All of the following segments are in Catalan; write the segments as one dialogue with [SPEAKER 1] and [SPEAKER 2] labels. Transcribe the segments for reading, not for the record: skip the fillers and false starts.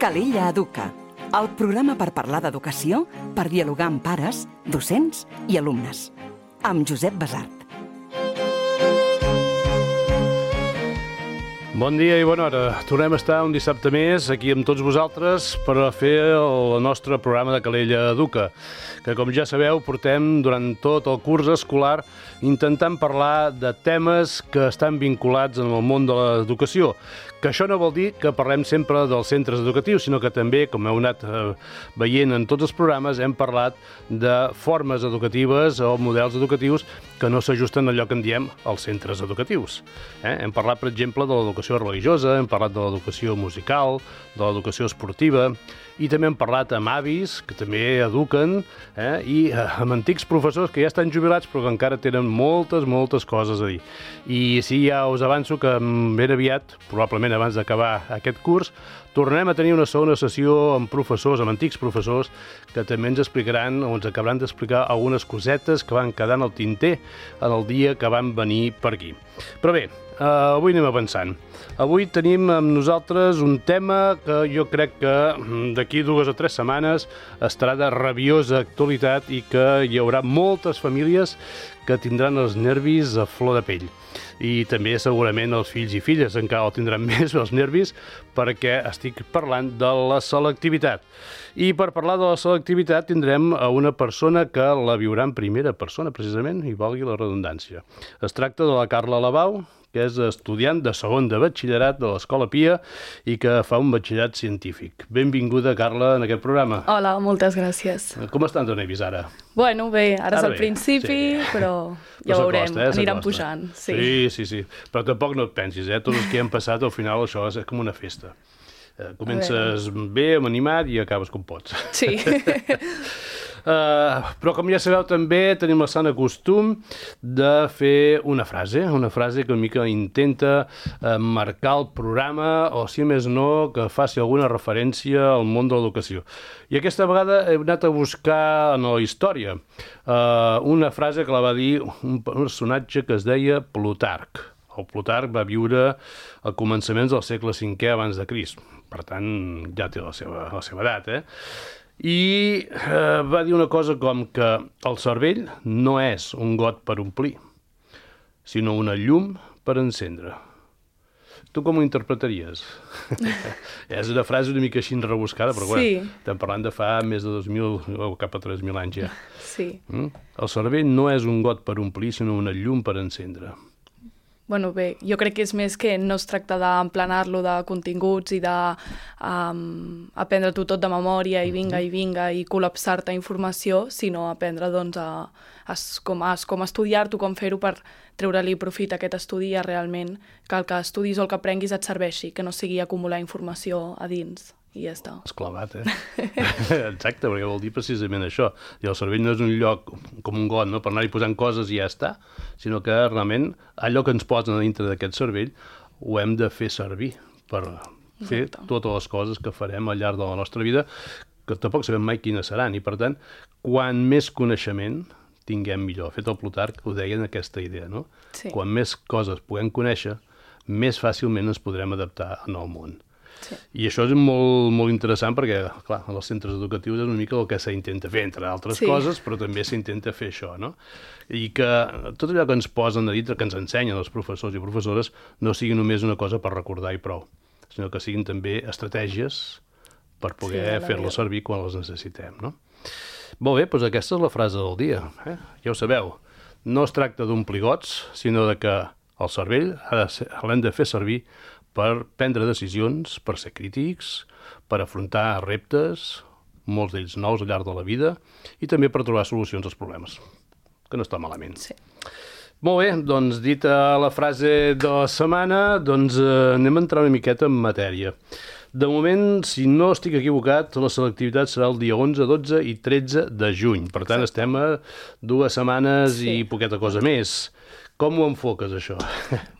[SPEAKER 1] Calella Educa, el programa per parlar d'educació, per dialogar amb pares, docents i alumnes. Amb Josep Basart.
[SPEAKER 2] Bon dia i bona hora. Tornem a estar un dissabte més aquí amb tots vosaltres per a fer el nostre programa de Calella Educa, que com ja sabeu portem durant tot el curs escolar intentant parlar de temes que estan vinculats en el món de l'educació. Que això no vol dir que parlem sempre dels centres educatius, sinó que també, com heu anat veient en tots els programes, hem parlat de formes educatives o models educatius que no s'ajusten a allò que en diem els centres educatius. Hem parlat, per exemple, de l'educació religiosa, hem parlat de l'educació musical, de l'educació esportiva, i també hem parlat amb avis, que també eduquen, i amb antics professors que ja estan jubilats però que encara tenen moltes coses a dir. I sí, ja us avanço que ben aviat, probablement abans d'acabar aquest curs, tornem a tenir una segona sessió amb professors, amb antics professors, que també ens explicaran o ens acabaran d'explicar algunes cosetes que van quedar en el tinter en el dia que van venir per aquí. Però bé, avui anem avançant. Avui tenim amb nosaltres un tema que jo crec que d'aquí 2 o 3 setmanes estarà de rabiosa actualitat i que hi haurà moltes famílies que tindran els nervis a flor de pell. I també segurament els fills i filles encara el tindran més, els nervis, perquè estic parlant de la selectivitat. I per parlar de la selectivitat tindrem a una persona que la viurà en primera persona, precisament, i valgui la redundància. Es tracta de la Carla Labau, que és estudiant de segon de batxillerat de l'Escola Pia i que fa un batxillerat científic. Benvinguda, Carla, en aquest programa.
[SPEAKER 3] Hola, moltes gràcies.
[SPEAKER 2] Com estan els nervis ara?
[SPEAKER 3] Bueno, bé, ara és el principi, sí. Però ja ho veurem, aniran pujant.
[SPEAKER 2] Sí. Però tampoc no et pensis, tots els que han passat, al final això és com una festa. Comences bé, animat i acabes com pots.
[SPEAKER 3] Sí.
[SPEAKER 2] Però com ja sabeu també tenim el sant costum de fer una frase que una mica intenta marcar el programa o si més no que faci alguna referència al món de l'educació. I aquesta vegada he anat a buscar en la història una frase que la va dir un personatge que es deia Plutarc. El Plutarc va viure a començaments del segle V abans de Crist. Per tant, ja té la seva edat, I va dir una cosa com que el cervell no és un got per omplir, sinó una llum per encendre. Tu com ho interpretaries? És una frase una mica així rebuscada, però estem parlant de fa més de 2.000 o cap a 3.000 anys ja.
[SPEAKER 3] Sí.
[SPEAKER 2] El cervell no és un got per omplir, sinó una llum per encendre.
[SPEAKER 3] Bueno, bé, jo crec que és més que no es tracta d'emplenar-lo de continguts i d'aprendre-t'ho tot de memòria i vinga i col·lapsar-te informació, sinó aprendre doncs, com estudiar-t'ho, com fer-ho per treure-li profit a aquest estudi i realment que el que estudis o el que aprenguis et serveixi, que no sigui acumular informació a dins. I ja està.
[SPEAKER 2] Esclavat, Exacte, perquè vol dir precisament això. I el cervell no és un lloc com un got, per anar-hi posant coses i ja està, sinó que realment allò que ens posen a dintre d'aquest cervell ho hem de fer servir per fer totes les coses que farem al llarg de la nostra vida, que tampoc sabem mai quines seran. I per tant, quan més coneixement tinguem millor. De fet, el Plutarc ho deia en aquesta idea, no?
[SPEAKER 3] Sí.
[SPEAKER 2] Quan més coses puguem conèixer, més fàcilment ens podrem adaptar en el món.
[SPEAKER 3] Sí.
[SPEAKER 2] I això és molt interessant perquè, clar, en els centres educatius és una mica el que s'intenta fer, entre altres coses, però també s'intenta fer això, no? I que tot allò que ens posen a dintre, que ens ensenyen els professors i professores, no sigui només una cosa per recordar i prou, sinó que siguin també estratègies per poder fer-les servir quan les necessitem, no? Molt bé, doncs aquesta és la frase del dia. Ja ho sabeu, no es tracta d'omplir gots, sinó de que el cervell l'hem de fer servir per prendre decisions, per ser crítics, per afrontar reptes, molts d'ells nous al llarg de la vida, i també per trobar solucions als problemes, que no està malament.
[SPEAKER 3] Sí.
[SPEAKER 2] Molt bé, doncs dita la frase de la setmana, doncs anem a entrar una miqueta en matèria. De moment, si no estic equivocat, la selectivitat serà el dia 11, 12 i 13 de juny. Per tant, estem a 2 setmanes i poqueta cosa més. Com ho enfoques, això?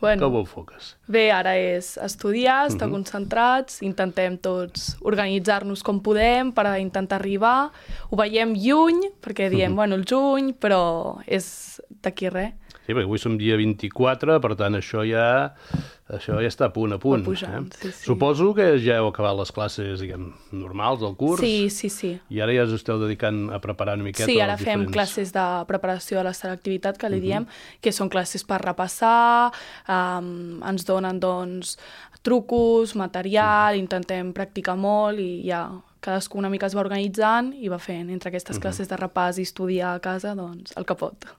[SPEAKER 3] Bueno,
[SPEAKER 2] com ho enfoques?
[SPEAKER 3] Bé, ara és estudiar, estar concentrats, intentem tots organitzar-nos com podem per intentar arribar. Ho veiem lluny, perquè diem, bueno, el juny, però és d'aquí res.
[SPEAKER 2] Sí, perquè avui som dia 24, per tant, això ja Això ja està a punt.
[SPEAKER 3] Va pujant, sí.
[SPEAKER 2] Suposo que ja heu acabat les classes, diguem, normals del curs.
[SPEAKER 3] Sí.
[SPEAKER 2] I ara ja us esteu dedicant a preparar una miqueta.
[SPEAKER 3] Sí, ara fem classes de preparació de la selectivitat, que li diem, que són classes per repassar, ens donen, doncs, trucos, material, intentem practicar molt i ja cadascú una mica es va organitzant i va fent entre aquestes classes de repàs i estudiar a casa, doncs, el que pot.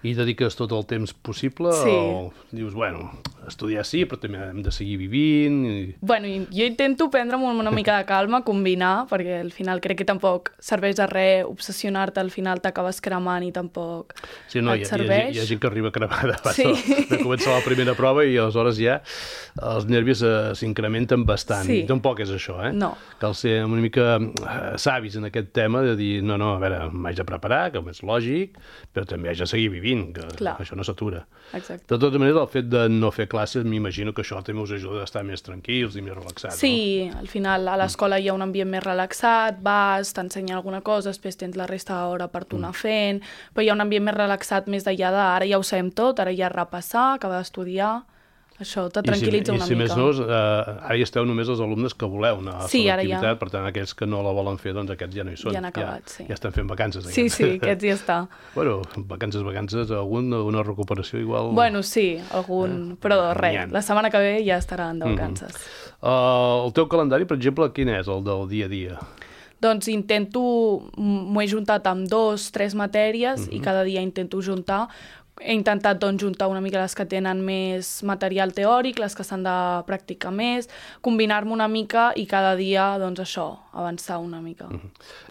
[SPEAKER 2] I dediques tot el temps possible?
[SPEAKER 3] Sí.
[SPEAKER 2] O dius, bueno, estudiar sí, però també hem de seguir vivint?
[SPEAKER 3] Bueno, jo intento prendre'm una mica de calma, combinar, perquè al final crec que tampoc serveix de res obsessionar-te, al final t'acabes cremant i tampoc et serveix.
[SPEAKER 2] Hi ha gent que arriba cremada abans de començar la primera prova i aleshores ja els nervis s'incrementen bastant.
[SPEAKER 3] Sí.
[SPEAKER 2] I tampoc és això,
[SPEAKER 3] No.
[SPEAKER 2] Cal ser una mica savis en aquest tema de dir, no, a veure, m'haig de preparar, que és lògic, però també haig de seguir vivint, que això no s'atura.
[SPEAKER 3] Exacte.
[SPEAKER 2] De tota manera, el fet de no fer classes, m'imagino que això també us ajuda a estar més tranquils i més relaxats.
[SPEAKER 3] Sí, al final a l'escola hi ha un ambient més relaxat, vas, t'ensenyen alguna cosa, després tens la resta d'hora per tu anar fent, però hi ha un ambient més relaxat més d'allà ara ja ho sabem tot, ara ja repassar, acabar d'estudiar. Això te tranquil·litza una mica.
[SPEAKER 2] I si més no, ara hi esteu només els alumnes que voleu anar a selectivitat, per tant, aquells que no la volen fer, doncs aquests ja no hi són.
[SPEAKER 3] Ja han acabat, sí.
[SPEAKER 2] Ja estan fent vacances.
[SPEAKER 3] Sí, aquests ja està.
[SPEAKER 2] Bueno, vacances, alguna recuperació igual...
[SPEAKER 3] Bueno, sí, però res, la setmana que ve ja estaran de vacances.
[SPEAKER 2] El teu calendari, per exemple, quin és, el del dia a dia?
[SPEAKER 3] Doncs m'ho he juntat amb 2-3 matèries i cada dia intento juntar. He intentat doncs, juntar una mica les que tenen més material teòric, les que s'han de practicar més, combinar-me una mica i cada dia, doncs això, avançar una mica.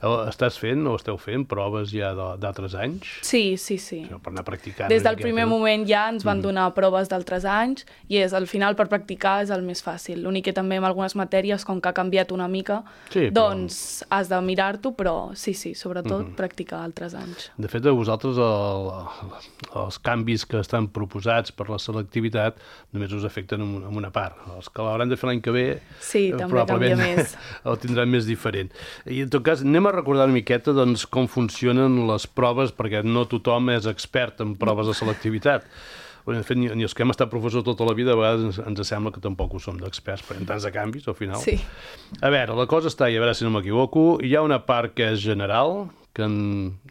[SPEAKER 2] Estàs fent o esteu fent proves ja d'altres anys?
[SPEAKER 3] Sí.
[SPEAKER 2] Per anar practicant.
[SPEAKER 3] Des del primer moment ja ens van donar proves d'altres anys i al final per practicar és el més fàcil. L'únic que també en algunes matèries, com que ha canviat una mica, doncs has de mirar-t'ho, però sí, sobretot practicar altres anys.
[SPEAKER 2] De fet, a vosaltres els canvis que estan proposats per la selectivitat només us afecten en una part. Els que l'hauran de fer l'any que ve
[SPEAKER 3] també canvia més.
[SPEAKER 2] El tindran més diferent. I en tot cas, anem a recordar una miqueta doncs, com funcionen les proves, perquè no tothom és expert en proves de selectivitat. De fet, ni els que hem estat professors tota la vida, a vegades ens sembla que tampoc ho som d'experts, perquè tants de canvis, al final.
[SPEAKER 3] Sí.
[SPEAKER 2] A veure, la cosa està, i a veure si no m'equivoco, hi ha una part que és general, que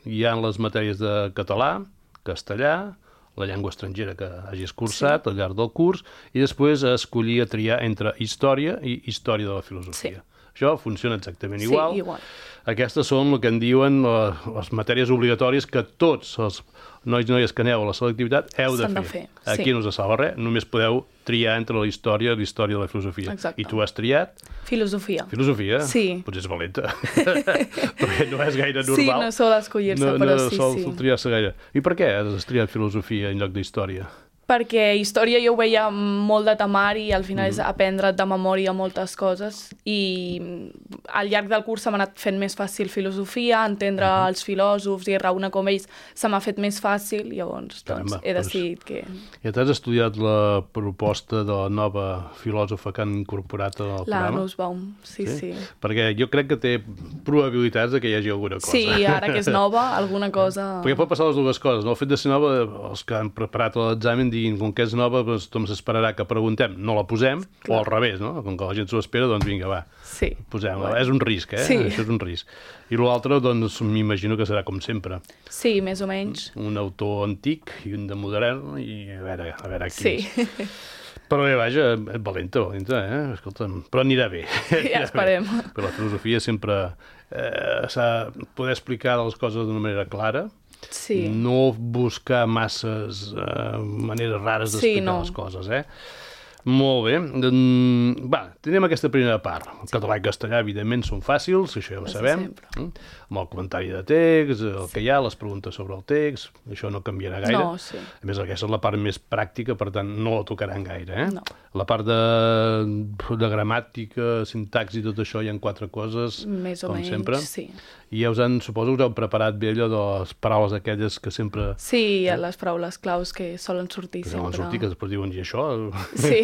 [SPEAKER 2] hi ha les matèries de català, castellà, la llengua estrangera que hagis cursat al llarg del curs, i després escollir a triar entre història i història de la filosofia. Això funciona exactament igual.
[SPEAKER 3] Sí, igual.
[SPEAKER 2] Aquestes són el que en diuen les matèries obligatòries que tots els nois i noies que aneu a la selectivitat heu de fer. Aquí no us salva res, només podeu triar entre la història i la història de la filosofia.
[SPEAKER 3] Exacte.
[SPEAKER 2] I tu has triat?
[SPEAKER 3] Filosofia.
[SPEAKER 2] Filosofia?
[SPEAKER 3] Sí.
[SPEAKER 2] Potser és valenta. Perquè no és gaire normal.
[SPEAKER 3] Sí, no sol escollir-se, però sí.
[SPEAKER 2] No sol triar-se gaire. I per què has triat filosofia en lloc d'història?
[SPEAKER 3] Perquè història jo ho veia molt de temari i al final és aprendre de memòria moltes coses i al llarg del curs se m'ha anat fent més fàcil filosofia, entendre els filòsofs i raonar com ells se m'ha fet més fàcil, llavors doncs, he decidit que...
[SPEAKER 2] Ja t'has estudiat la proposta de la nova filòsofa que han incorporat al programa?
[SPEAKER 3] La Nussbaum, sí.
[SPEAKER 2] Perquè jo crec que té probabilitats de que hi hagi alguna cosa.
[SPEAKER 3] Sí, ara que és nova, alguna cosa...
[SPEAKER 2] Perquè pot passar les dues coses, no? El fet de ser nova, els que han preparat l'examen com que és nova, doncs tothom s'esperarà que preguntem, no la posem, o al revés, no? Com que la gent s'ho espera, doncs vinga, va, posem-la. És un risc,
[SPEAKER 3] Sí.
[SPEAKER 2] Això és un risc. I l'altre, doncs, m'imagino que serà com sempre.
[SPEAKER 3] Sí, més o menys.
[SPEAKER 2] Un autor antic i un de modern, i a veure qui és.
[SPEAKER 3] Sí.
[SPEAKER 2] Però bé, vaja, valenta, escolta'm, però anirà bé.
[SPEAKER 3] Ja esperem.
[SPEAKER 2] Però la filosofia sempre s'ha de poder explicar les coses d'una manera clara, no buscar masses maneres rares d'explicar les coses, Molt bé. Va, tenim aquesta primera part. El català i castellà, evidentment, són fàcils, això ja ho sabem. Amb el comentari de text, el que hi ha, les preguntes sobre el text, això no canviarà gaire.
[SPEAKER 3] No, sí.
[SPEAKER 2] A més, aquesta és la part més pràctica, per tant, no la tocaran gaire,
[SPEAKER 3] No.
[SPEAKER 2] La part de gramàtica, sintaxi i tot això, hi ha 4 coses,
[SPEAKER 3] més o
[SPEAKER 2] com
[SPEAKER 3] menys,
[SPEAKER 2] sempre.
[SPEAKER 3] Sí.
[SPEAKER 2] I ja suposo que us heu preparat bé allò de les paraules aquelles que sempre...
[SPEAKER 3] Sí, les paraules claus que solen sortir sempre.
[SPEAKER 2] Solen sortir, que després diuen, i això?
[SPEAKER 3] Sí.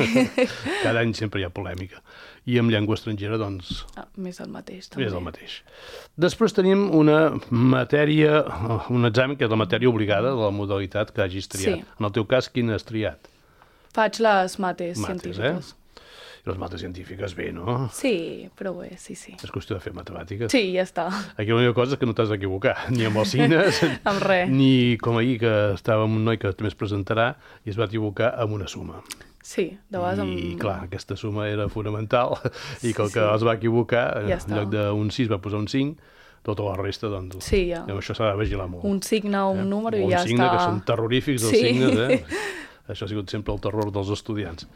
[SPEAKER 2] Cada any sempre hi ha polèmica. I amb llengua estrangera, doncs...
[SPEAKER 3] Més el mateix, també.
[SPEAKER 2] Més el mateix. Després tenim una matèria, un examen que és la matèria obligada de la modalitat que hagis triat. En el teu cas, quina has triat?
[SPEAKER 3] Faig les mates científiques.
[SPEAKER 2] I les mates científiques bé, no?
[SPEAKER 3] Sí, però bé, sí.
[SPEAKER 2] És qüestió de fer matemàtiques.
[SPEAKER 3] Sí, ja està.
[SPEAKER 2] Aquí l'única cosa és que no t'has d'equivocar, ni amb els signes,
[SPEAKER 3] amb res.
[SPEAKER 2] Ni com ahir, que estava amb un noi que també es presentarà i es va equivocar amb una suma.
[SPEAKER 3] Sí, de vegades...
[SPEAKER 2] I clar, aquesta suma era fonamental i com que es va equivocar,
[SPEAKER 3] ja
[SPEAKER 2] en lloc d'un 6 va posar un 5, tota la resta, doncs...
[SPEAKER 3] Sí, ja.
[SPEAKER 2] Amb això s'ha de vigilar molt.
[SPEAKER 3] Un signe o un número i ja està...
[SPEAKER 2] Un signe, que són terrorífics, els signes, Això ha sigut sempre el terror dels estudiants.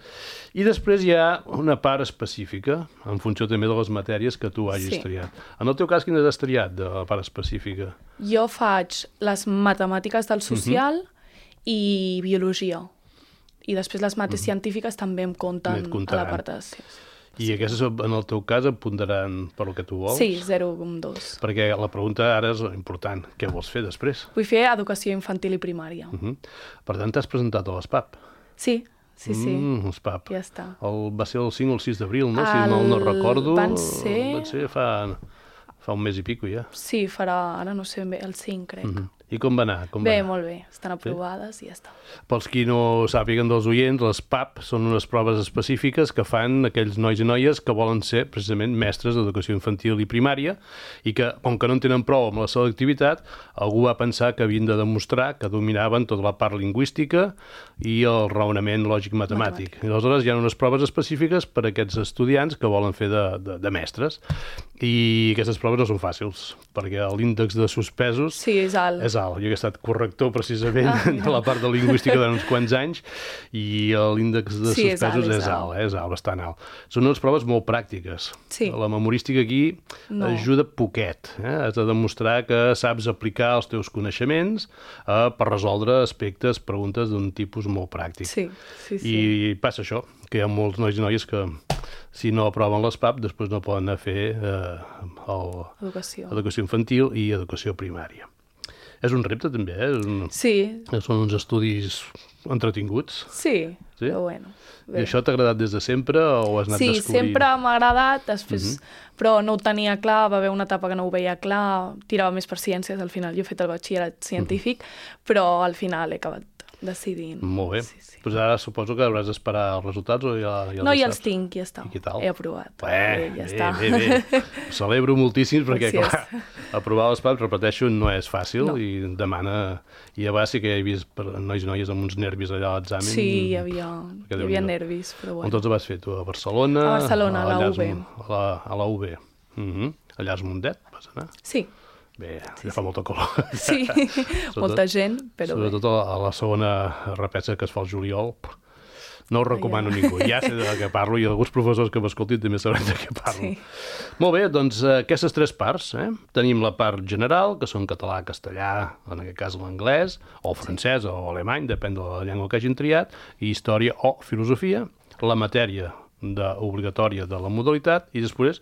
[SPEAKER 2] I després hi ha una part específica, en funció també de les matèries que tu hagis triat. En el teu cas, quines has triat de la part específica?
[SPEAKER 3] Jo faig les matemàtiques del social i biologia. I després les mates científiques també em compten a la part de...
[SPEAKER 2] I aquestes, en el teu cas, et pondran per el que tu vols?
[SPEAKER 3] Sí, 0,2.
[SPEAKER 2] Perquè la pregunta ara és important. Què vols fer després?
[SPEAKER 3] Vull fer educació infantil i primària.
[SPEAKER 2] Per tant, t'has presentat a l'ESPAP?
[SPEAKER 3] Sí.
[SPEAKER 2] L'ESPAP.
[SPEAKER 3] Ja està.
[SPEAKER 2] Va ser el 5 o el 6 d'abril, no? Si mal no recordo.
[SPEAKER 3] Van ser
[SPEAKER 2] fa un mes i pico, ja.
[SPEAKER 3] Sí, ara no sé ben bé, el 5, crec.
[SPEAKER 2] I com va anar?
[SPEAKER 3] Bé, molt bé. Estan aprovades i ja està.
[SPEAKER 2] Pels qui no sàpiguen dels oients, les PAP són unes proves específiques que fan aquells nois i noies que volen ser precisament mestres d'educació infantil i primària i que, com que no en tenen prou amb la selectivitat, algú va pensar que havien de demostrar que dominaven tota la part lingüística i el raonament lògic-matemàtic. I aleshores hi ha unes proves específiques per a aquests estudiants que volen fer de mestres. I aquestes proves no són fàcils, perquè l'índex de suspesos
[SPEAKER 3] és alt.
[SPEAKER 2] Jo he estat corrector precisament de la part de lingüística durant uns quants anys i l'índex de suspesos és alt, bastant alt. Són unes proves molt pràctiques. La memorística aquí ajuda poquet. Has de demostrar que saps aplicar els teus coneixements per resoldre aspectes, preguntes d'un tipus molt pràctic. I passa això, que hi ha molts nois i noies que si no aproven l'ESPAP després no poden anar a fer educació infantil i educació primària. És un repte, també, Són uns estudis entretinguts.
[SPEAKER 3] Sí, però bueno.
[SPEAKER 2] I això t'ha agradat des de sempre o has anat descobrint?
[SPEAKER 3] Sí, sempre m'ha agradat, després, però no ho tenia clar, va haver una etapa que no ho veia clar, tirava més per ciències, al final jo he fet el batxillerat científic, però al final he acabat decidint.
[SPEAKER 2] Molt bé. Doncs ara suposo que hauràs d'esperar els resultats o ja els
[SPEAKER 3] No, ja els tinc, ja està.
[SPEAKER 2] I què tal?
[SPEAKER 3] He aprovat.
[SPEAKER 2] Bé. Ho celebro moltíssim perquè, clar, aprovar l'ESPAP, repeteixo, no és fàcil i demana... I a vegades sí que he vist nois i noies amb uns nervis allà a l'examen.
[SPEAKER 3] Sí, hi havia nervis, però bueno.
[SPEAKER 2] On tots ho vas fer, tu? A Barcelona?
[SPEAKER 3] A Barcelona, a la UB.
[SPEAKER 2] A la UB. Allà a Mundet vas anar?
[SPEAKER 3] Sí.
[SPEAKER 2] Bé, ja fa molta color.
[SPEAKER 3] Sí, molta gent, però bé.
[SPEAKER 2] Sobretot a la segona repesa que es fa al juliol. No ho recomano a ningú. Ja sé de què parlo i alguns professors que m'escoltin també sabran de què parlo. Molt bé, doncs aquestes tres parts. Tenim la part general, que són català, castellà, en aquest cas l'anglès, o francès o alemany, depèn de la llengua que hagin triat, i història o filosofia, la matèria obligatòria de la modalitat i després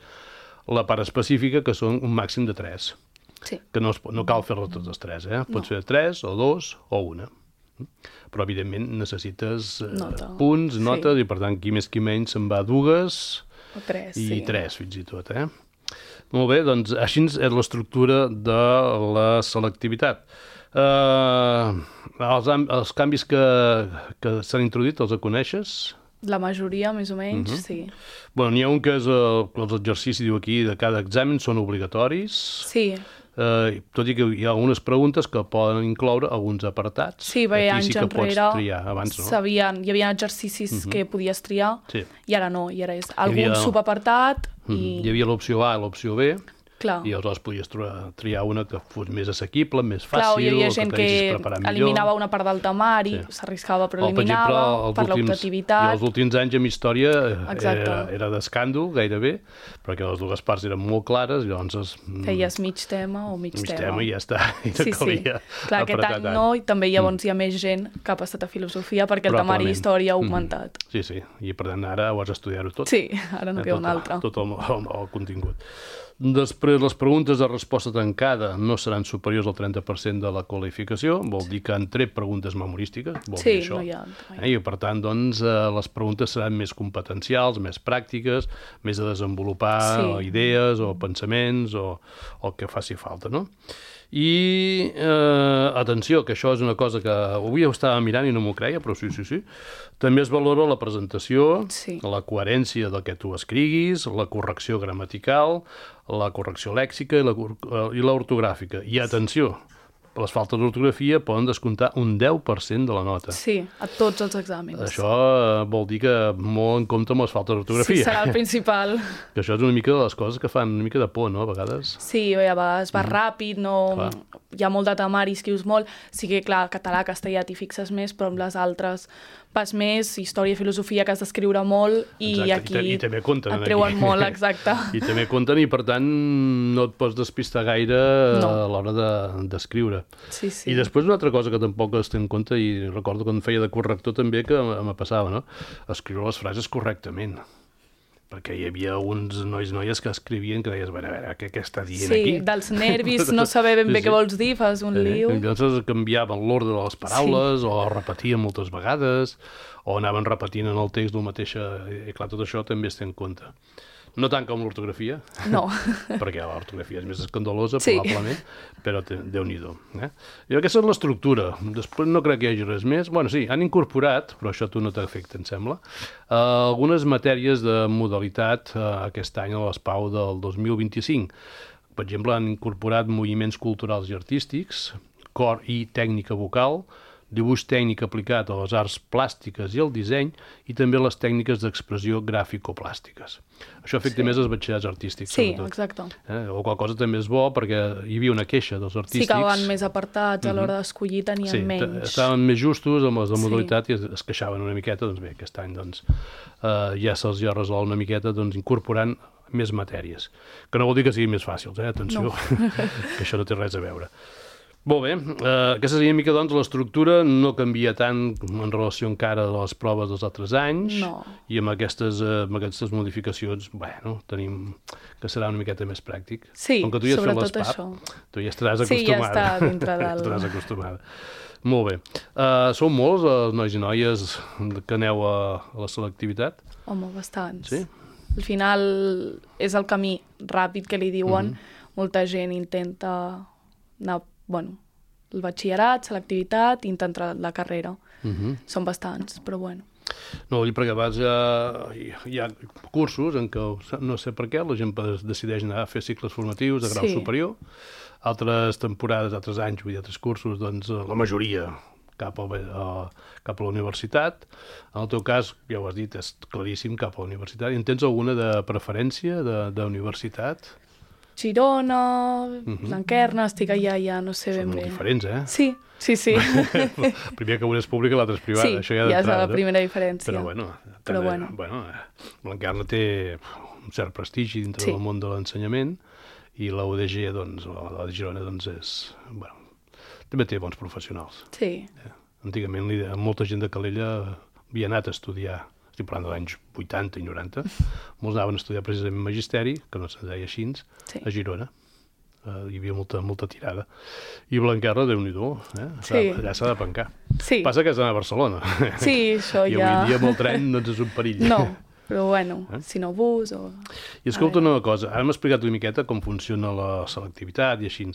[SPEAKER 2] la part específica, que són un màxim de 3. Que no cal fer-les totes 3, Pots fer 3 o 2 o 1. Però, evidentment, necessites punts, notes, i, per tant, qui més qui menys se'n va 2
[SPEAKER 3] o 3,
[SPEAKER 2] i 3, fins i tot, Molt bé, doncs, així és l'estructura de la selectivitat. Els canvis que s'han introduït, els coneixes?
[SPEAKER 3] La majoria, més o menys, sí.
[SPEAKER 2] Bueno, n'hi ha un que és els exercicis, diu aquí, de cada examen són obligatoris.
[SPEAKER 3] Sí.
[SPEAKER 2] Tot i que hi ha algunes preguntes que poden incloure alguns apartats.
[SPEAKER 3] Sí, perquè anys enrere
[SPEAKER 2] abans, no?
[SPEAKER 3] Hi havia exercicis que podies triar i ara no, i ara és algun subapartat.
[SPEAKER 2] Hi havia l'opció A i l'opció B.
[SPEAKER 3] Clar.
[SPEAKER 2] I aleshores podies triar una que fos més assequible, més fàcil,
[SPEAKER 3] clar, hi havia gent que
[SPEAKER 2] millor.
[SPEAKER 3] Eliminava una part del temari, s'arriscava però eliminava, per l'optativitat.
[SPEAKER 2] I els últims anys amb història era d'escàndol, gairebé, perquè les dues parts eren molt clares, llavors...
[SPEAKER 3] Feies mig tema o mig tema.
[SPEAKER 2] I ja està, i no calia
[SPEAKER 3] clar, aquest any no, i també llavors hi ha més gent que ha passat a filosofia perquè el temari història ha augmentat.
[SPEAKER 2] Sí, i per tant ara ho has d'estudiar-ho tot.
[SPEAKER 3] Sí, ara no queda un altre.
[SPEAKER 2] Tot el contingut. Després, les preguntes de resposta tancada no seran superiors al 30% de la qualificació, vol dir que han tret preguntes memorístiques, vol dir això. I per tant, doncs, les preguntes seran més competencials, més pràctiques, més de desenvolupar idees o pensaments o el que faci falta, no? I, atenció, que això és una cosa que avui ho estava mirant i no m'ho creia, però sí. També es valora la presentació, la coherència del que tu escriguis, la correcció gramatical, la correcció lèxica i l'ortogràfica. I atenció, les faltes d'ortografia poden descomptar un 10% de la nota.
[SPEAKER 3] Sí, a tots els exàmens.
[SPEAKER 2] Això vol dir que molt en compte amb les faltes d'ortografia.
[SPEAKER 3] Sí, serà el principal.
[SPEAKER 2] Que això és una mica de les coses que fan una mica de por, no?, a vegades.
[SPEAKER 3] Sí, a vegades va ràpid, no... hi ha molt de temari, escrius molt. Sí que, clar, català, castellà t'hi fixes més, però amb les altres vas més, història i filosofia, que has d'escriure molt, i
[SPEAKER 2] exacte,
[SPEAKER 3] aquí
[SPEAKER 2] i també compten,
[SPEAKER 3] et treuen
[SPEAKER 2] aquí.
[SPEAKER 3] molt, exacte.
[SPEAKER 2] I també compten, i per tant no et pots despistar gaire a l'hora d'escriure.
[SPEAKER 3] Sí.
[SPEAKER 2] I després una altra cosa que tampoc es té en compte, i recordo quan feia de corrector també que me passava, no?, escriure les frases correctament. Perquè hi havia uns nois i noies que escrivien que deies, a veure, què està dient aquí?
[SPEAKER 3] Sí, dels nervis, no saber ben bé què vols dir, fas un lío.
[SPEAKER 2] Llavors canviaven l'ordre de les paraules, o repetien moltes vegades, o anaven repetint en el text el mateix, i clar, tot això també es té en compte. No tant com l'ortografia,
[SPEAKER 3] no,
[SPEAKER 2] perquè l'ortografia és més escandalosa, probablement, però Déu-n'hi-do. I aquesta és l'estructura. Després no crec que hi hagi res més. Bueno, sí, han incorporat, però això a tu no t'afecta, em sembla, algunes matèries de modalitat aquest any a l'ESPAU del 2025. Per exemple, han incorporat moviments culturals i artístics, cor i tècnica vocal, dibuix tècnic aplicat a les arts plàstiques i al disseny, i també les tècniques d'expressió gràfico-plàstiques. Això afecta més als batxillerats artístics, sobretot.
[SPEAKER 3] Sí, exacte.
[SPEAKER 2] O qual cosa també és bo, perquè hi havia una queixa dels artístics.
[SPEAKER 3] Sí, que van més apartats, a l'hora d'escollir tenien menys.
[SPEAKER 2] Sí, estaven més justos amb les de modalitat i es queixaven una miqueta. Doncs bé, aquest any ja se'ls ha resolt una miqueta incorporant més matèries. Que no vol dir que siguin més fàcils, atenció, que això no té res a veure. Molt bé, aquesta seria una mica, l'estructura no canvia tant en relació encara a les proves dels altres anys, i amb aquestes modificacions, bueno, tenim que serà una miqueta més pràctic.
[SPEAKER 3] Sí, sobretot això.
[SPEAKER 2] Tu ja estaràs acostumada.
[SPEAKER 3] Sí, ja està dintre del...
[SPEAKER 2] Estaràs acostumada. Molt bé. Sou molts els nois i noies que aneu a la selectivitat?
[SPEAKER 3] Home, bastants.
[SPEAKER 2] Sí?
[SPEAKER 3] Al final és el camí ràpid que li diuen. Molta gent intenta anar, el batxillerat, selectivitat, i intentar la carrera. Són bastants, però bueno.
[SPEAKER 2] No, perquè a vegades hi ha cursos en què, no sé per què, la gent decideix anar a fer cicles formatius de grau superior, altres temporades, altres anys, altres cursos, doncs la majoria cap a la universitat. En el teu cas, ja ho has dit, és claríssim cap a la universitat. I en tens alguna de preferència d'universitat?
[SPEAKER 3] Girona, Blanquerna, estic allà, ja no sé ben bé.
[SPEAKER 2] Són molt diferents, eh?
[SPEAKER 3] Sí.
[SPEAKER 2] Primer que una és pública i l'altra és privada.
[SPEAKER 3] Sí,
[SPEAKER 2] això ja
[SPEAKER 3] és la primera diferència.
[SPEAKER 2] Però bueno, Blanquerna té un cert prestigi dintre del món de l'ensenyament, i la UDG, la de Girona, també té bons professionals.
[SPEAKER 3] Sí.
[SPEAKER 2] Antigament molta gent de Calella havia anat a estudiar, estic parlant de l'anys 80 i 90, molts anaven a estudiar precisament magisteri, que no se'n deia així, a Girona. Hi havia molta tirada. I Blanquerna, Déu-n'hi-do, allà s'ha de pencar. Passa que has d'anar a Barcelona.
[SPEAKER 3] Sí, això ja...
[SPEAKER 2] I avui dia amb el tren no és un perill.
[SPEAKER 3] No, però bueno, si no bus o...
[SPEAKER 2] I escolta una cosa, ara m'ha explicat una miqueta com funciona la selectivitat i així,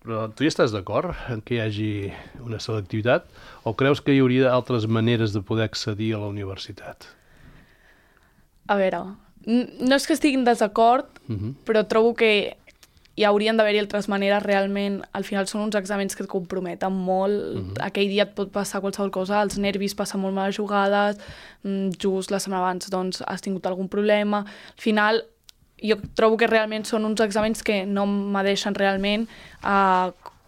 [SPEAKER 2] però tu ja estàs d'acord en que hi hagi una selectivitat, o creus que hi hauria altres maneres de poder accedir a la universitat?
[SPEAKER 3] A veure, no és que estigui en desacord, però trobo que hi haurien d'haver-hi altres maneres. Realment, al final són uns exàmens que et comprometen molt. Aquell dia et pot passar qualsevol cosa, els nervis, passen molt males jugades, just la setmana abans doncs, has tingut algun problema. Al final, jo trobo que realment són uns exàmens que no m'adeixen realment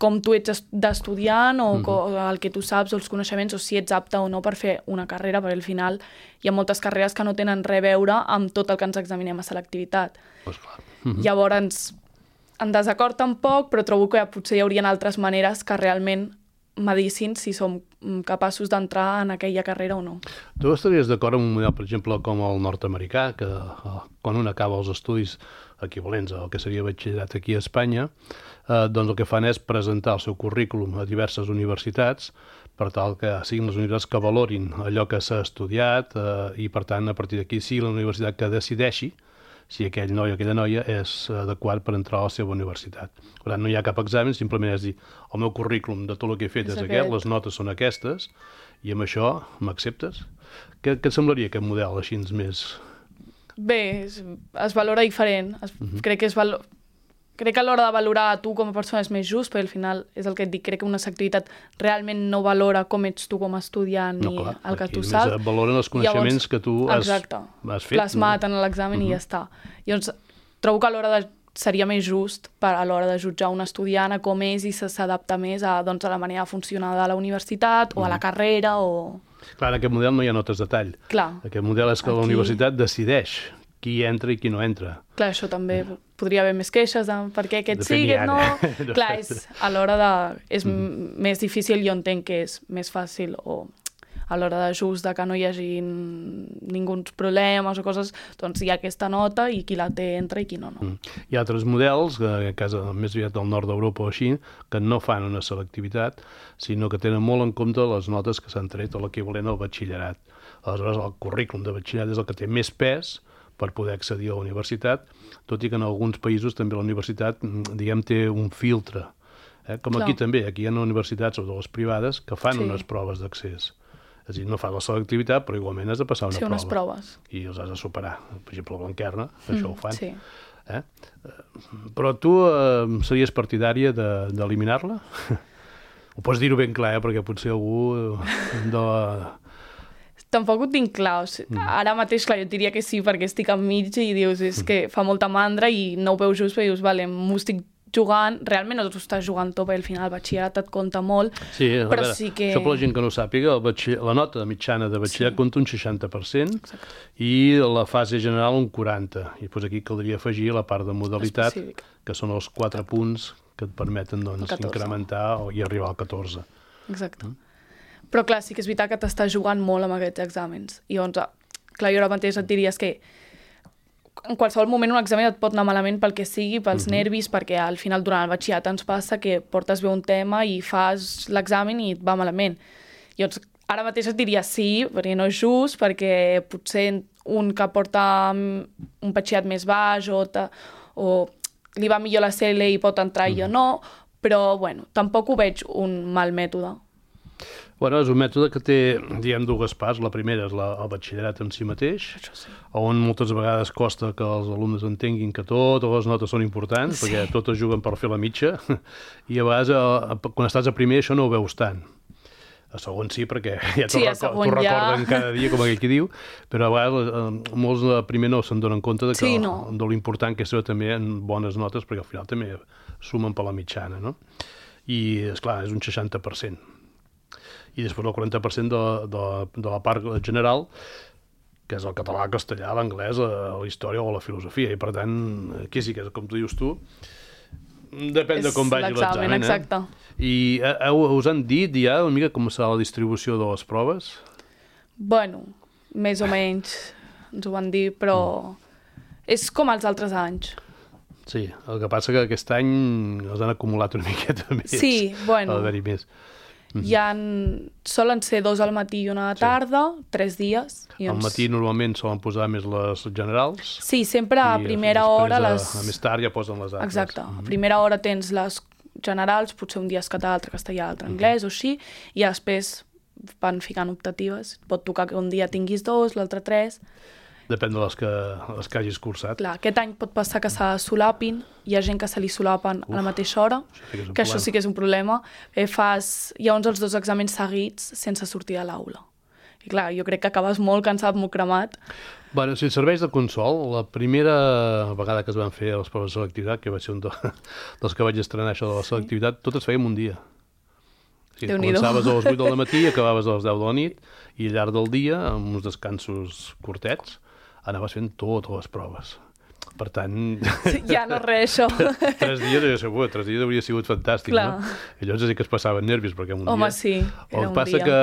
[SPEAKER 3] com tu ets d'estudiant o el que tu saps o els coneixements o si ets apte o no per fer una carrera, perquè al final hi ha moltes carreres que no tenen res a veure amb tot el que ens examinem a selectivitat. Llavors, en desacord tampoc, però trobo que potser hi haurien altres maneres que realment medicin si som capaços d'entrar en aquella carrera o no.
[SPEAKER 2] Tu estaries d'acord amb un model, per exemple, com el nord-americà, que quan un acaba els estudis equivalents al que seria batxillerat aquí a Espanya, doncs el que fan és presentar el seu currículum a diverses universitats per tal que siguin les universitats que valorin allò que s'ha estudiat i, per tant, a partir d'aquí sigui la universitat que decideixi si aquell noi o aquella noia és adequat per entrar a la seva universitat. Per tant, no hi ha cap examen, simplement és dir, el meu currículum de tot el que he fet és aquest, les notes són aquestes, i amb això m'acceptes? Què et semblaria aquest model així més...
[SPEAKER 3] Bé, es valora diferent. Crec que a l'hora de valorar a tu com a persona és més just, perquè al final és el que et dic, crec que una activitat realment no valora com ets tu com a estudiant ni el que tu saps.
[SPEAKER 2] Valoren els coneixements que tu has fet.
[SPEAKER 3] Plasmat en l'examen i ja està. Llavors, trobo que seria més just a l'hora de jutjar un estudiant a com és i s'adapta més a la manera de funcionar de la universitat o a la carrera o...
[SPEAKER 2] Clar, en aquest model no hi ha notes de tall.
[SPEAKER 3] Clar.
[SPEAKER 2] Aquest model és que la universitat decideix qui entra i qui no entra.
[SPEAKER 3] Clar, això també podria haver més queixes de per què aquest sí, aquest no... Clar, a l'hora de... És més difícil, jo entenc que és més fàcil o a l'hora de just de que no hi hagi ningú problemes o coses, doncs hi ha aquesta nota i qui la té entra i qui no.
[SPEAKER 2] Hi ha altres models, en cas més aviat del nord d'Europa o així, que no fan una selectivitat, sinó que tenen molt en compte les notes que s'han tret o l'equivalent al batxillerat. Aleshores, el currículum de batxillerat és el que té més pes per poder accedir a la universitat, tot i que en alguns països també la universitat, diguem, té un filtre. Com aquí també, aquí hi ha universitats, sobretot les privades, que fan unes proves d'accés. És a dir, no fa la selectivitat, però igualment has de passar una prova.
[SPEAKER 3] Sí, unes proves.
[SPEAKER 2] I els has de superar. Per exemple, a Blanquerna, això ho fan. Sí. Però tu series partidària d'eliminar-la? Ho pots dir-ho ben clar, perquè potser algú de la...
[SPEAKER 3] Tampoc ho tinc clar. Ara mateix, clar, jo diria que sí, perquè estic enmig i dius, és que fa molta mandra i no ho veus just, perquè dius, vale, m'ho estic jugant, realment no t'ho estàs jugant tot, perquè al final el batxillerat et compta molt,
[SPEAKER 2] sí, però sí que... Això per la gent que no sàpiga, la nota mitjana de batxillerat compta un 60%. Exacte. I la fase general un 40%. I doncs aquí caldria afegir la part de modalitat, que són els 4 punts que et permeten incrementar i arribar al 14.
[SPEAKER 3] Exacte. Però clar, sí que és veritat que t'estàs jugant molt amb aquests exàmens. I llavors, clar, jo ara mateix et diries que en qualsevol moment un examen et pot anar malament pel que sigui, pels nervis, perquè al final durant el batxillerat ens passa que portes bé un tema i fas l'examen i et va malament. Llavors, ara mateix et diria sí, perquè no és just, perquè potser un que porta un batxillerat més baix o li va millor la CL i pot entrar i jo no, però bueno, tampoc ho veig un mal mètode.
[SPEAKER 2] Bueno, és un mètode que té, diguem, dues parts. La primera és el batxillerat en si mateix, on moltes vegades costa que els alumnes entenguin que totes les notes són importants, perquè totes juguen per fer la mitja, i a vegades, quan estàs a primer, això no ho veus tant. A segon sí, perquè ja t'ho recorden cada dia, com aquell que diu, però a vegades molts de primer no se'n donen compte de l'important que és també en bones notes, perquè al final també sumen per la mitjana, no? I, esclar, és un 60%. I després el 40% de la part general, que és el català, el castellà, l'anglès, la història o la filosofia. I per tant, aquí sí que, com tu dius tu, depèn de com vagi l'examen.
[SPEAKER 3] Exacte.
[SPEAKER 2] I us han dit ja una mica com serà la distribució de les proves?
[SPEAKER 3] Bueno, més o menys ens ho van dir, però és com els altres anys.
[SPEAKER 2] Sí, el que passa que aquest any els han acumulat una miqueta més.
[SPEAKER 3] Sí, bueno.
[SPEAKER 2] Ha d'haver-hi més.
[SPEAKER 3] Solen ser 2 al matí i 1 a la tarda, 3 dies.
[SPEAKER 2] Al matí normalment solen posar més les generals.
[SPEAKER 3] Sí, sempre a primera hora
[SPEAKER 2] a més tard ja posen les altres.
[SPEAKER 3] Exacte. A primera hora tens les generals, potser un dia és català, altre castellà, altre anglès o així, i després van ficant optatives. Pot tocar que un dia tinguis 2, l'altre 3...
[SPEAKER 2] Depèn de les que hagis cursat.
[SPEAKER 3] Clar, aquest any pot passar que se solapin, hi ha gent que se li solapen a la mateixa hora, que això sí que és un problema. Llavors els 2 exàmens seguits sense sortir de l'aula. I clar, jo crec que acabes molt cansat, molt cremat.
[SPEAKER 2] Bueno, si serveix de consol, la primera vegada que es van fer les proves de selectivitat, que va ser un dels que vaig estrenar això de la selectivitat, totes fèiem un dia. Sí, començaves a les 8 del matí i acabaves a les 10 de la nit, i al llarg del dia, amb uns descansos curtets, anaves fent totes les proves. Per tant...
[SPEAKER 3] Ja no res, això.
[SPEAKER 2] 3 dies hauria sigut fantàstic, no? I llavors sí que es passaven nervis, perquè en un dia...
[SPEAKER 3] Home, sí,
[SPEAKER 2] era un dia. El que passa que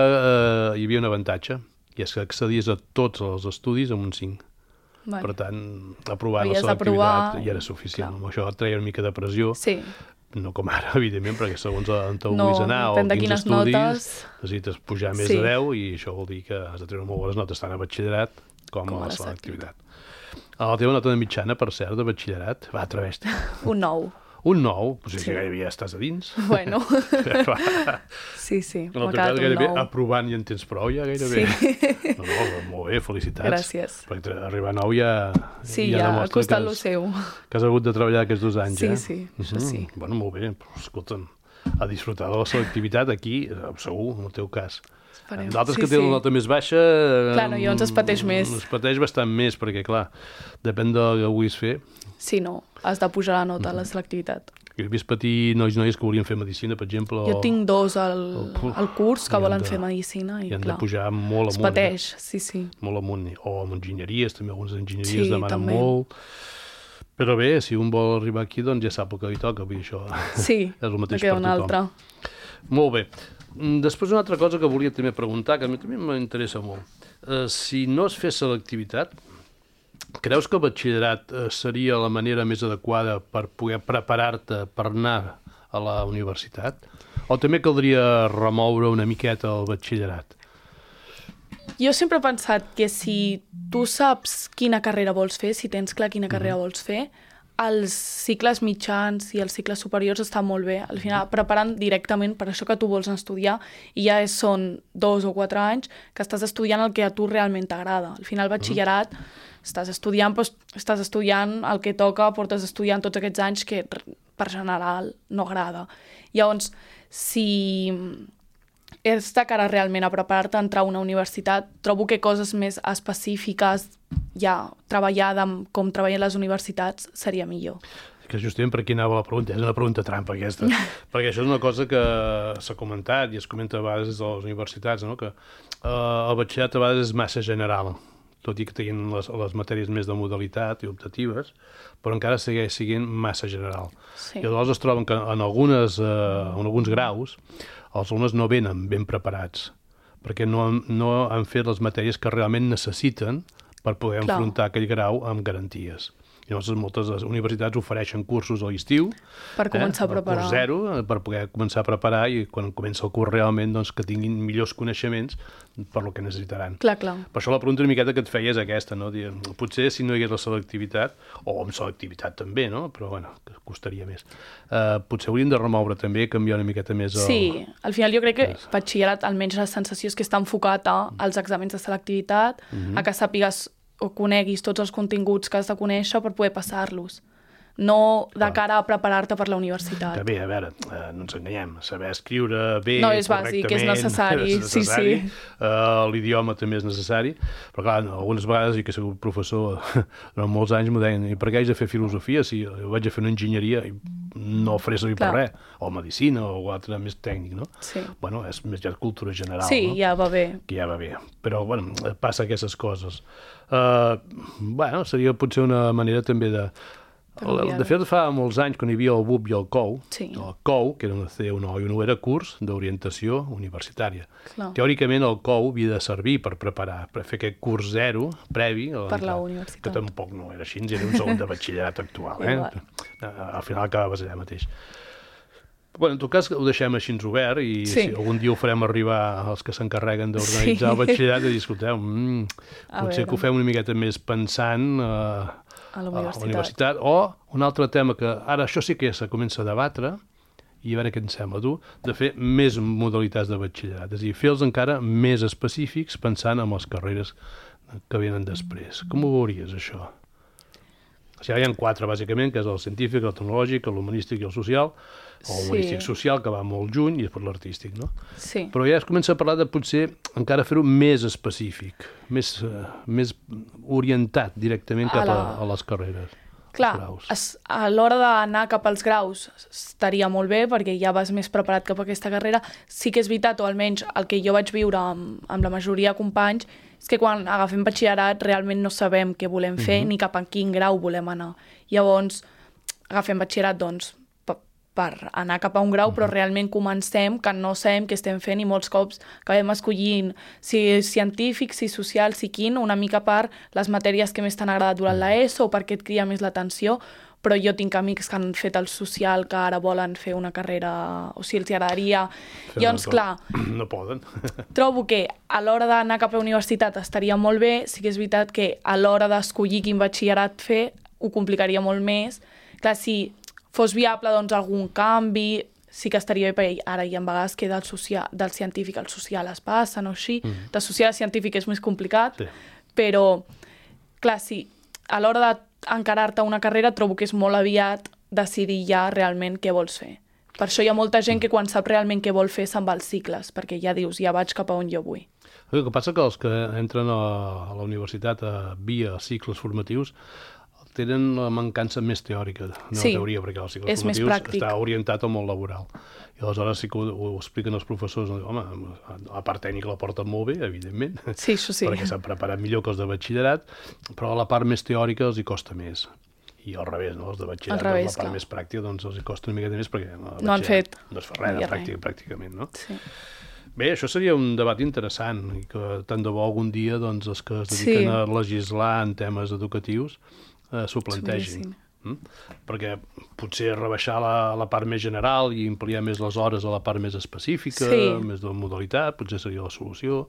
[SPEAKER 2] hi havia un avantatge, i és que accedies a tots els estudis amb un 5. Per tant, aprovar la selectivitat ja era suficient. Amb això et treia una mica de pressió.
[SPEAKER 3] Sí.
[SPEAKER 2] No com ara, evidentment, perquè segons on te vulguis anar o quins estudis, necessites pujar més de 10 i això vol dir que has de treure molt bones notes tant a batxillerat com a la selectivitat. La teva nota de mitjana, per cert, de batxillerat, va, atreveix-te.
[SPEAKER 3] Un 9.
[SPEAKER 2] Un 9? Pues sí. Que gairebé ja estàs a dins.
[SPEAKER 3] Bueno, sí,
[SPEAKER 2] No,
[SPEAKER 3] m'ha quedat un
[SPEAKER 2] gairebé
[SPEAKER 3] 9.
[SPEAKER 2] Aprovant i en tens prou, ja gairebé.
[SPEAKER 3] Sí.
[SPEAKER 2] No, molt bé, felicitats.
[SPEAKER 3] Gràcies.
[SPEAKER 2] Perquè arribar a 9 ja...
[SPEAKER 3] Sí, ja ha costat lo seu.
[SPEAKER 2] Que has hagut de treballar aquests 2 anys,
[SPEAKER 3] Sí,
[SPEAKER 2] ja.
[SPEAKER 3] sí, això sí.
[SPEAKER 2] Bueno, molt bé, però escolta'm, a disfrutar de la selectivitat aquí, segur, en el teu cas.
[SPEAKER 3] Esperem.
[SPEAKER 2] D'altres
[SPEAKER 3] Sí,
[SPEAKER 2] que tenen
[SPEAKER 3] sí.
[SPEAKER 2] la nota més baixa...
[SPEAKER 3] Clar, no, llavors es pateix més.
[SPEAKER 2] Es pateix bastant més, perquè, clar, depèn del que vulguis fer.
[SPEAKER 3] Sí, no, has de pujar la nota a la selectivitat.
[SPEAKER 2] He vist patir noies que volien fer medicina, per exemple.
[SPEAKER 3] Jo tinc 2 al curs que
[SPEAKER 2] i han
[SPEAKER 3] volen
[SPEAKER 2] de-
[SPEAKER 3] fer medicina i
[SPEAKER 2] I han de
[SPEAKER 3] clar,
[SPEAKER 2] pujar molt
[SPEAKER 3] es
[SPEAKER 2] amunt.
[SPEAKER 3] pateix, sí, sí.
[SPEAKER 2] Molt amunt. O amb enginyeries, també algunes enginyeries
[SPEAKER 3] Sí,
[SPEAKER 2] demanen
[SPEAKER 3] també.
[SPEAKER 2] molt. Però bé, si un vol arribar aquí, doncs ja sap el que li toca. Vull dir, això
[SPEAKER 3] Sí,
[SPEAKER 2] és el mateix
[SPEAKER 3] me queda
[SPEAKER 2] per
[SPEAKER 3] una
[SPEAKER 2] tothom.
[SPEAKER 3] altra.
[SPEAKER 2] Molt bé. Després una altra cosa que volia també preguntar, que a mi també m'interessa molt. Si no es fes selectivitat, creus que el batxillerat seria la manera més adequada per poder preparar-te per anar a la universitat? O també caldria remoure una miqueta el batxillerat?
[SPEAKER 3] Jo sempre he pensat que si tu saps quina carrera vols fer, si tens clar quina carrera vols fer, els cicles mitjans i els cicles superiors estan molt bé. Al final, preparant directament per això que tu vols estudiar i ja són 2 o 4 anys que estàs estudiant el que a tu realment t'agrada. Al final, batxillerat, estàs estudiant el que toca, portes estudiant tots aquests anys que per general no agrada. Llavors, si és de cara realment a preparar-te a entrar a una universitat, trobo que coses més específiques, ja treballada com treballen les universitats, seria millor.
[SPEAKER 2] Que justament per aquí anava la pregunta, és una pregunta trampa aquesta, perquè això és una cosa que s'ha comentat i es comenta a vegades des de les universitats, no? Que el batxillerat a vegades és massa general, tot i que tinguin les matèries més de modalitat i optatives, però encara segueix sent massa general.
[SPEAKER 3] Sí.
[SPEAKER 2] I llavors es troben que en alguns graus els alumnes no venen ben preparats, perquè no han fet les matèries que realment necessiten per poder enfrontar aquell grau amb garanties. I llavors moltes universitats ofereixen cursos a l'estiu
[SPEAKER 3] Per començar a preparar.
[SPEAKER 2] Curs 0, per poder començar a preparar i quan comença el curs realment doncs, que tinguin millors coneixements per lo que necessitaran.
[SPEAKER 3] Clar.
[SPEAKER 2] Per això la pregunta una miqueta que et feia és aquesta, no? Potser si no hi hagués la selectivitat, o amb selectivitat també, no? Però bueno, que costaria més. Potser hauríem de remoure també, canviar una miqueta més el...
[SPEAKER 3] Sí, al final jo crec que batxillerat, almenys la sensació és que està enfocat als exàmens de selectivitat, a que sàpigues o coneguis tots els continguts que has de conèixer per poder passar-los. No de cara a preparar-te per la universitat.
[SPEAKER 2] Que bé, a veure, no ens enganyem, saber escriure bé,
[SPEAKER 3] No, és bàsic, és necessari, sí.
[SPEAKER 2] L'idioma també és necessari, però clar, algunes vegades, i que he sigut professor durant molts anys, m'ho deien, i per què haig de fer filosofia si jo vaig a fer una enginyeria i no ho faré servir per res, o medicina o altre més tècnic, no?
[SPEAKER 3] Sí.
[SPEAKER 2] Bueno, és més ja cultura general,
[SPEAKER 3] Sí,
[SPEAKER 2] no?
[SPEAKER 3] ja va bé.
[SPEAKER 2] Que ja va bé, però bueno, passa aquestes coses. Bueno, seria potser una manera també de... De fet, fa molts anys, quan hi havia el BUP i el COU, el COU, que era una C1 i un era curs d'orientació universitària.
[SPEAKER 3] Clar.
[SPEAKER 2] Teòricament, el COU havia de servir per preparar, per fer aquest curs 0 previ a
[SPEAKER 3] Per la universitat.
[SPEAKER 2] que tampoc no era així, era un segon de batxillerat actual. Al final acabaves allà mateix. Bueno, en tot cas, ho deixem així obert i si algun dia ho farem arribar als que s'encarreguen d'organitzar el batxillerat i dir, escolteu, potser que ho fem una miqueta més pensant a la universitat. O un altre tema que ara això sí que se comença a debatre, i a veure què en sembla tu, de fer més modalitats de batxillerat, és a dir, fer-los encara més específics pensant en les carreres que venen després. Com ho veuries, això? O sigui, hi ha 4, bàsicament, que és el científic, el tecnològic, l'humanístic i el social, o el humanístic social, que va molt lluny, i després l'artístic, no?
[SPEAKER 3] Sí.
[SPEAKER 2] Però ja es comença a parlar de potser encara fer-ho més específic, més orientat directament cap a les carreres.
[SPEAKER 3] Clar, a l'hora d'anar cap als graus estaria molt bé perquè ja vas més preparat cap a aquesta carrera. Sí que és veritat, o almenys el que jo vaig viure amb la majoria de companys, és que quan agafem batxillerat realment no sabem què volem fer ni cap a quin grau volem anar. Llavors, agafem batxillerat, doncs, per anar cap a un grau, però realment comencem que no sabem què estem fent i molts cops acabem escollint si científic, si social, si quin, una mica per les matèries que més t'han agradat durant l'ESO o perquè et crida més l'atenció, però jo tinc amics que han fet el social que ara volen fer una carrera, o sigui, els agradaria. Llavors, clar,
[SPEAKER 2] no poden.
[SPEAKER 3] Trobo que a l'hora d'anar cap a universitat estaria molt bé, sí que és veritat que a l'hora d'escollir quin batxillerat fer ho complicaria molt més. Clar, si fos viable doncs, algun canvi, sí que estaria bé, perquè ara hi ha vegades que del científic al social es passen o així. De social a científic és més complicat, però, clar, sí, a l'hora d'encarar-te una carrera trobo que és molt aviat decidir ja realment què vols fer. Per això hi ha molta gent que quan sap realment què vol fer se'n va als cicles, perquè ja dius, ja vaig cap a on jo vull.
[SPEAKER 2] El que passa que els que entren a la universitat via cicles formatius tenen la mancança més teòrica de la teoria, perquè els cicles formatius està orientat al món laboral. I aleshores sí que ho expliquen els professors. Home, la part tècnica la porten molt bé, evidentment,
[SPEAKER 3] sí, això sí,
[SPEAKER 2] perquè s'han preparat millor que els de batxillerat, però la part més teòrica els hi costa més. I al revés, no? Els de batxillerat, la part més pràctica, doncs els hi costa una miqueta més perquè
[SPEAKER 3] no han fet.
[SPEAKER 2] No es fa res, pràcticament, no? Sí. Bé, això seria un debat interessant i que tant de bo algun dia doncs, els que es dediquen a legislar en temes educatius s'ho plantegin. Perquè potser rebaixar la part més general i ampliar més les hores a la part més específica, més de modalitat, potser seria la solució.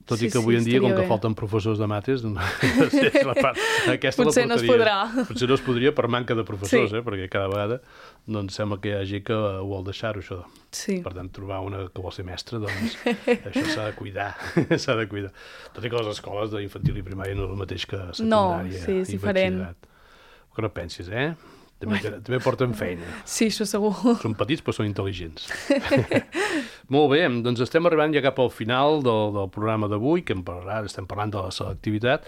[SPEAKER 2] Tot i que avui en dia, com que falten professors de mates,
[SPEAKER 3] potser no es podrà.
[SPEAKER 2] Potser no es podria per manca de professors, perquè cada vegada sembla que hi hagi que ho vol deixar-ho, això. Per tant, trobar una que vol ser mestra, doncs això s'ha de cuidar. Tot i que les escoles d'infantil i primària no és el mateix que secundària i batxillerat. Que no pensis, També porten feina.
[SPEAKER 3] Sí, això segur.
[SPEAKER 2] Són petits, però són intel·ligents. Molt bé, doncs estem arribant ja cap al final del programa d'avui, que estem parlant de la selectivitat.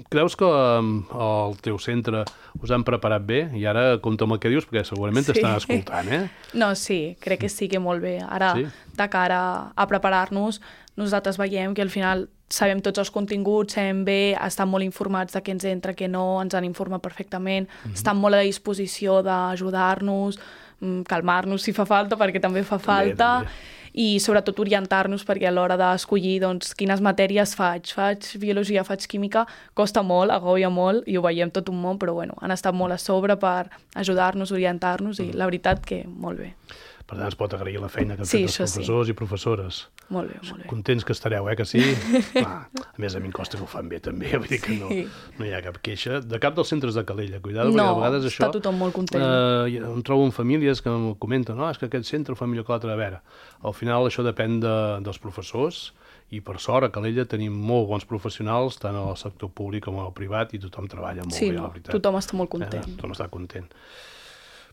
[SPEAKER 2] Creus que al teu centre us han preparat bé? I ara compta amb el que dius, perquè segurament t'estan escoltant,
[SPEAKER 3] No, sí, crec que sí que molt bé. Ara, de cara a preparar-nos, nosaltres veiem que al final sabem tots els continguts, sabem bé, estan molt informats de què ens entra, què no, ens han informat perfectament, estan molt a disposició d'ajudar-nos, calmar-nos si fa falta, perquè també fa falta, i sobretot orientar-nos, perquè a l'hora d'escollir quines matèries faig biologia, faig química, costa molt, agobia molt, i ho veiem tot un món, però han estat molt a sobre per ajudar-nos, orientar-nos, i la veritat que molt bé.
[SPEAKER 2] Per tant, es pot agrair la feina que han fet els professors i professores.
[SPEAKER 3] Molt bé, molt bé.
[SPEAKER 2] Contents que estareu, que sí? A més, a mi em costa que ho fan bé, també. Vull dir que no hi ha cap queixa. De cap dels centres de Calella, cuidado, perquè a vegades això...
[SPEAKER 3] No, està tothom molt content.
[SPEAKER 2] Em trobo en famílies que em comenten és que aquest centre ho fa millor que l'altre. A veure, al final això depèn dels professors i, per sort, a Calella tenim molt bons professionals, tant al sector públic com al privat, i tothom treballa molt bé, la veritat.
[SPEAKER 3] Tothom està molt content.
[SPEAKER 2] Tothom està content.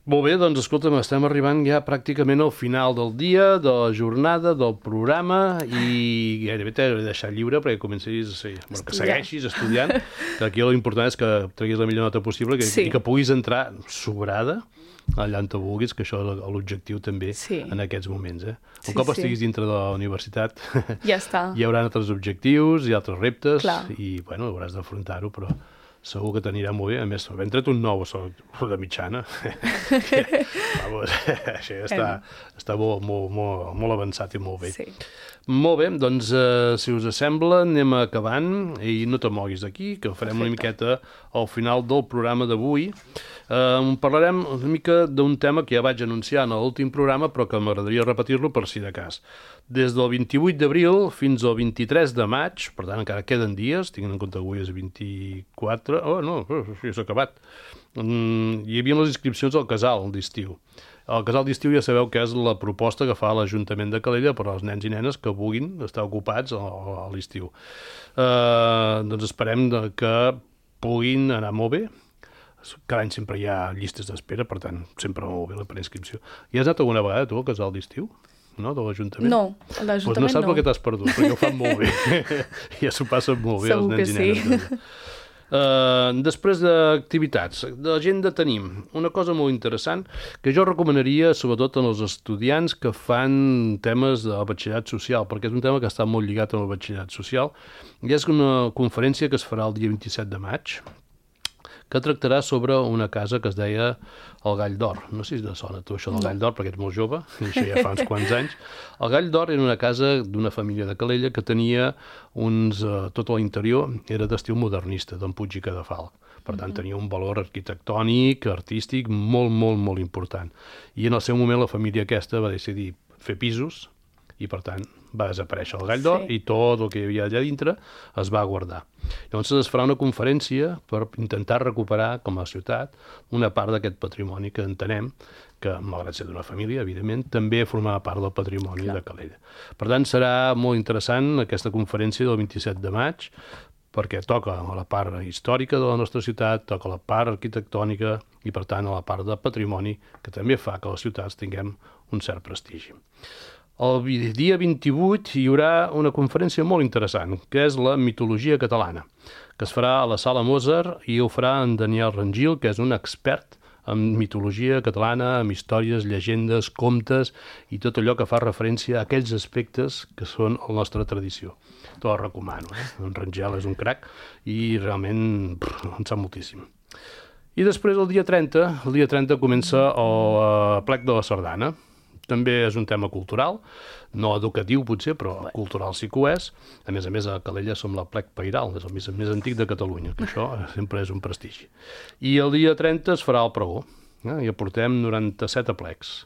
[SPEAKER 2] Molt bé, doncs escolta'm, estem arribant ja pràcticament al final del dia, de la jornada, del programa, i gairebé t'he de deixar lliure perquè comencis que segueixis estudiant, que aquí l'important és que treguis la millor nota possible i que puguis entrar sobrada allà on te vulguis, que això és l'objectiu també en aquests moments. Un cop estiguis dintre de la universitat
[SPEAKER 3] ja està.
[SPEAKER 2] Hi haurà altres objectius i altres reptes i hauràs d'afrontar-ho, però segur que t'anirà molt bé. A més, hem tret un nou de mitjana. Això està molt avançat i molt bé. Molt bé, doncs, si us sembla, anem acabant i no te moguis d'aquí, que farem una miqueta al final del programa d'avui. Parlarem una mica d'un tema que ja vaig anunciar en l'últim programa, però que m'agradaria repetir-lo per si de cas. Des del 28 d'abril fins al 23 de maig, per tant encara queden dies, tinguent en compte que avui és 24... ja s'ha acabat. Hi havia les inscripcions al casal d'estiu. El casal d'estiu ja sabeu que és la proposta que fa l'Ajuntament de Calella per als nens i nenes que vulguin estar ocupats a l'estiu. Doncs esperem que puguin anar molt bé. Cada any sempre hi ha llistes d'espera, per tant, sempre molt bé la preinscripció. Hi has anat alguna vegada tu al casal d'estiu? No, de l'Ajuntament?
[SPEAKER 3] No, a l'Ajuntament
[SPEAKER 2] no. No saps el que t'has perdut, perquè ho fan molt bé. Ja s'ho passen molt bé els nens i nenes. Després d'activitats, d'agenda tenim una cosa molt interessant que jo recomanaria sobretot als estudiants que fan temes de batxillerat social, perquè és un tema que està molt lligat amb el batxillerat social, i és una conferència que es farà el dia 27 de maig, que tractarà sobre una casa que es deia el Gall d'Or. No sé si te sona tu això del Gall d'Or, perquè ets molt jove, això ja fa uns quants anys. El Gall d'Or era una casa d'una família de Calella que tenia tot l'interior era d'estil modernista, d'en Puig i Cadafalch. Per tant, tenia un valor arquitectònic, artístic, molt, molt, molt important. I en el seu moment la família aquesta va decidir fer pisos i, per tant, va desaparèixer el Gall d'Or i tot el que hi havia allà dintre es va guardar. Llavors es farà una conferència per intentar recuperar, com a ciutat, una part d'aquest patrimoni que entenem que, malgrat ser d'una família, evidentment, també formava part del patrimoni de Calella. Per tant, serà molt interessant aquesta conferència del 27 de maig, perquè toca a la part històrica de la nostra ciutat, toca a la part arquitectònica i, per tant, a la part de patrimoni, que també fa que les ciutats tinguem un cert prestigi. El dia 28 hi haurà una conferència molt interessant, que és la mitologia catalana, que es farà a la Sala Mozart i ho farà en Daniel Rangil, que és un expert en mitologia catalana, amb històries, llegendes, contes i tot allò que fa referència a aquells aspectes que són la nostra tradició. Te la recomano, En Rangel és un crac i realment en sap moltíssim. I després, el dia 30 comença el plec de la sardana. També és un tema cultural, no educatiu potser, però cultural sí que ho és. A més, a Calella som la plec pairal, és el més antic de Catalunya, que això sempre és un prestigi. I el dia 30 es farà el pregó, i aportem 97 aplecs.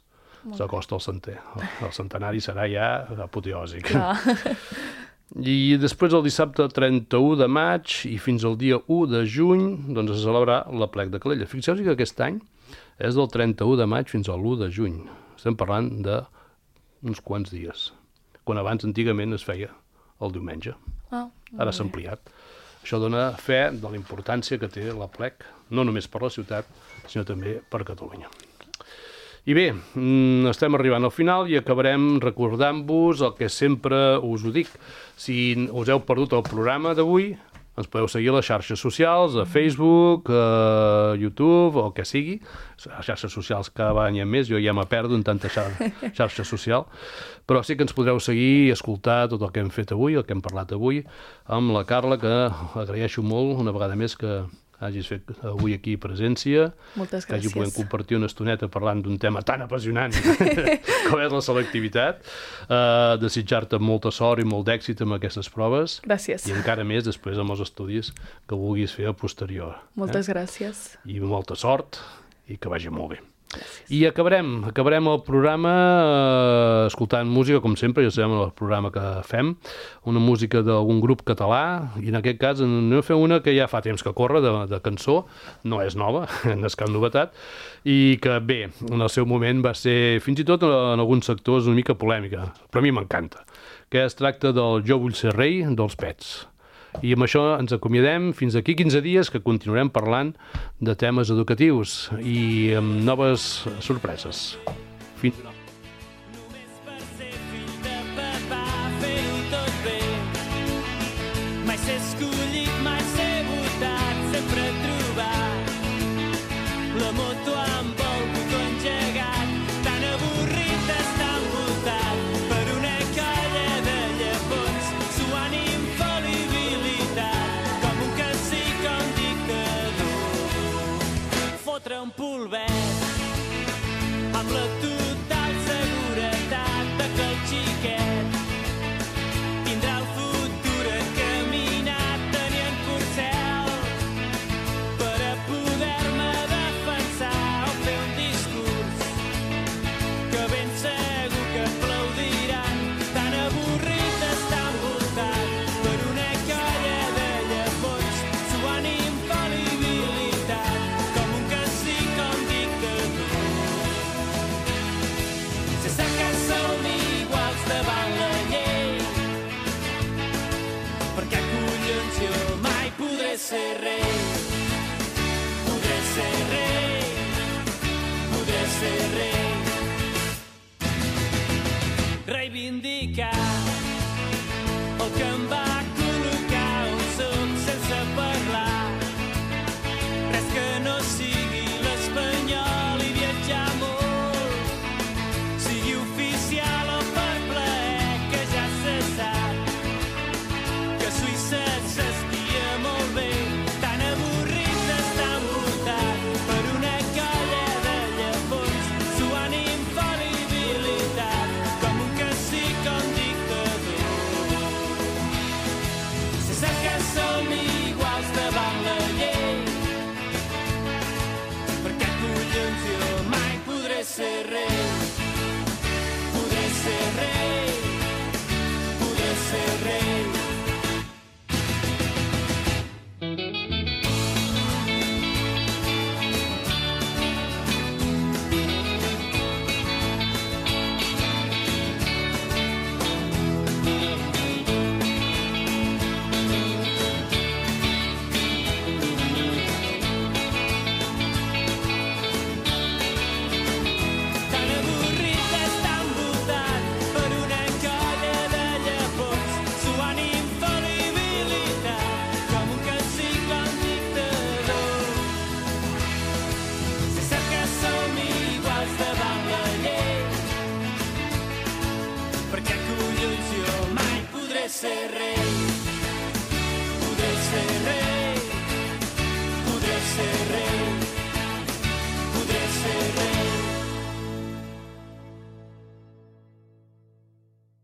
[SPEAKER 2] S'acosta el centè. El centenari serà ja apoteòsic. I després, el dissabte 31 de maig i fins al dia 1 de juny, doncs es celebrarà l'aplec de Calella. Fixeu-vos que aquest any és del 31 de maig fins al 1 de juny. Estem parlant d'uns quants dies, quan abans antigament es feia el diumenge. Ara s'ha ampliat. Això dona fe de la importància que té l'aplec, no només per la ciutat, sinó també per Catalunya. I bé, estem arribant al final i acabarem recordant-vos el que sempre us ho dic. Si us heu perdut el programa d'avui, ens podeu seguir a les xarxes socials, a Facebook, a YouTube, o el que sigui. Les xarxes socials cada any més, jo ja me perdo en tanta xarxa social, però sí que ens podreu seguir i escoltar tot el que hem fet avui, el que hem parlat avui, amb la Carla, que agraeixo molt una vegada més que hagis fet avui aquí presència.
[SPEAKER 3] Moltes gràcies.
[SPEAKER 2] Que hagi pogut compartir una estoneta parlant d'un tema tan apassionant com és la selectivitat. Desitjar-te molta sort i molt d'èxit amb aquestes proves.
[SPEAKER 3] Gràcies.
[SPEAKER 2] I encara més després amb els estudis que vulguis fer a posterior.
[SPEAKER 3] Moltes gràcies.
[SPEAKER 2] I molta sort i que vagi molt bé.
[SPEAKER 3] Gràcies.
[SPEAKER 2] I acabarem el programa escoltant música, com sempre, ja sabem el programa que fem, una música d'algun grup català, i en aquest cas anem a fer una que ja fa temps que corre, de cançó, no és nova, no és cap novetat, i que bé, en el seu moment va ser, fins i tot en alguns sectors, una mica polèmica, però a mi m'encanta, que es tracta del Jo vull ser rei dels Pets. I amb això ens acomiadem fins aquí 15 dies, que continuarem parlant de temes educatius i amb noves sorpreses. Fins demà.
[SPEAKER 4] Només per ser fill de papà, fer-ho tot bé. Mai ser escollit, mai ser votat, sempre trobar la moto amb el botó engegat. Tan avorrit d'estar envoltat per una colla de llepons, suant infal·libilitat, com un cacic o un dictador. Fotre un polvet amb la total seguretat de que el xiquet tindrà el futur encaminat, tenint corcel per a poder-me defensar o fer un discurs que ben segur que aplaudiran. Tan avorrit d'estar envoltat per una colla de llepons, suant infal·libilitat, com un cacic o un dictador. Se sap que som iguals davant la llei, perquè collons jo mai podré ser rei. Podré ser rei, podré ser rei. Reivindicar el que em va col·locar on soc sense parlar. Res que no sigui l'espanyol i viatjar molt, sigui oficial o per plaer, que ja se sap que a Suïssa s'estia molt bé. Tan avorrit d'estar envoltat ser rei.